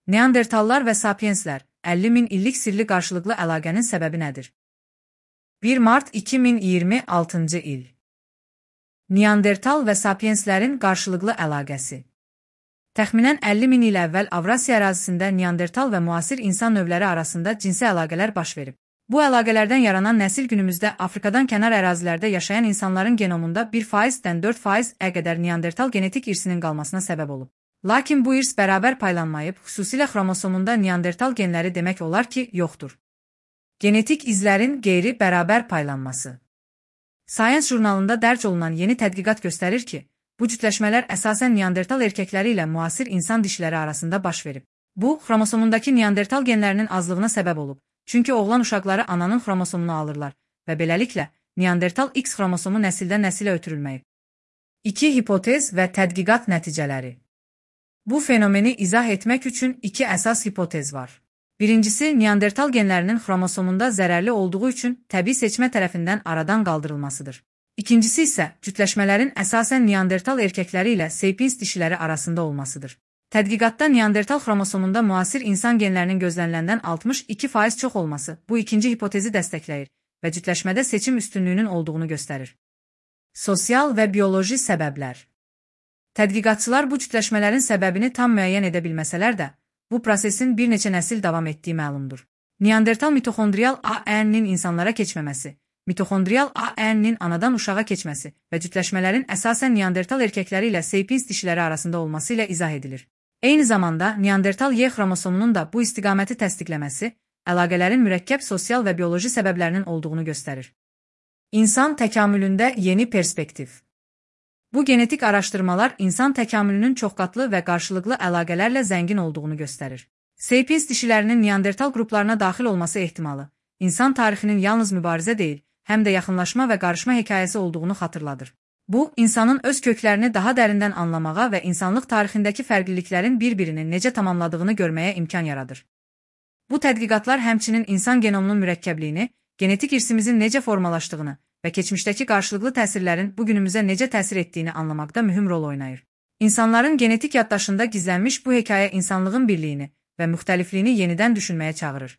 Neandertallar və sapienslər 50 min illik sirli qarşılıqlı əlaqənin səbəbi nədir? 1 mart 2026-cı il. Neandertal və sapienslərin qarşılıqlı əlaqəsi. Təxminən 50 min il əvvəl Avrasiya ərazisində Neandertal və müasir insan növləri arasında cinsi əlaqələr baş verib. Bu əlaqələrdən yaranan nəsil günümüzdə Afrikadan kənar ərazilərdə yaşayan insanların genomunda 1%-dən 4%-ə qədər Neandertal genetik irsinin qalmasına səbəb olub. Lakin bu irs bərabər paylanmayıb, xüsusilə xromosomunda Neandertal genləri demək olar ki, yoxdur. Genetik izlərin qeyri-bərabər paylanması. Science jurnalında dərc olunan yeni tədqiqat göstərir ki, bu cütləşmələr əsasən Neandertal erkəkləri ilə müasir insan dişləri arasında baş verib. Bu, xromosomundakı Neandertal genlərinin azlığına səbəb olub, çünki oğlan uşaqları ananın xromosomunu alırlar və beləliklə Neandertal X xromosomu nəsildən nəsilə ötürülməyib. 2 hipotez və tədqiqat nəticələri. Bu fenomeni izah etmək üçün 2 əsas hipotez var. Birincisi, Neandertal genlərinin xromosomunda zərərli olduğu üçün təbii seçmə tərəfindən aradan qaldırılmasıdır. İkincisi isə cütləşmələrin əsasən Neandertal erkəkləri ilə sapiens dişiləri arasında olmasıdır. Tədqiqatda Neandertal xromosomunda müasir insan genlərinin gözləniləndən 62% çox olması bu ikinci hipotezi dəstəkləyir və cütləşmədə seçim üstünlüyünün olduğunu göstərir. Sosial və bioloji səbəblər. Tədqiqatçılar bu cütləşmələrin səbəbini tam müəyyən edə bilməsələr də, bu prosesin bir neçə nəsil davam etdiyi məlumdur. Neandertal mitoxondrial ARN-nin insanlara keçməməsi, mitoxondrial ARN-nin anadan uşağa keçməsi və cütləşmələrin əsasən Neandertal erkəkləri ilə sapiens dişiləri arasında olması ilə izah edilir. Eyni zamanda, Neandertal Y xromosomunun da bu istiqaməti təsdiqləməsi, əlaqələrin mürəkkəb sosial və bioloji səbəblərinin olduğunu göstərir. İnsan təkamülündə yeni perspektiv. Bu genetik araşdırmalar insan təkamülünün çoxqatlı və qarşılıqlı əlaqələrlə zəngin olduğunu göstərir. Sapiens dişilərinin Neandertal qruplarına daxil olması ehtimalı, insan tarixinin yalnız mübarizə deyil, həm də yaxınlaşma və qarışma hekayəsi olduğunu xatırladır. Bu, insanın öz köklərini daha dərindən anlamağa və insanlıq tarixindəki fərqliliklərin bir-birini necə tamamladığını görməyə imkan yaradır. Bu tədqiqatlar həmçinin insan genomunun mürəkkəbliyini, genetik irsimizin necə formalaşdığını və keçmişdəki qarşılıqlı təsirlərin bugünümüzə necə təsir etdiyini anlamaqda mühüm rol oynayır. İnsanların genetik yaddaşında gizlənmiş bu hekayə insanlığın birliyini və müxtəlifliyini yenidən düşünməyə çağırır.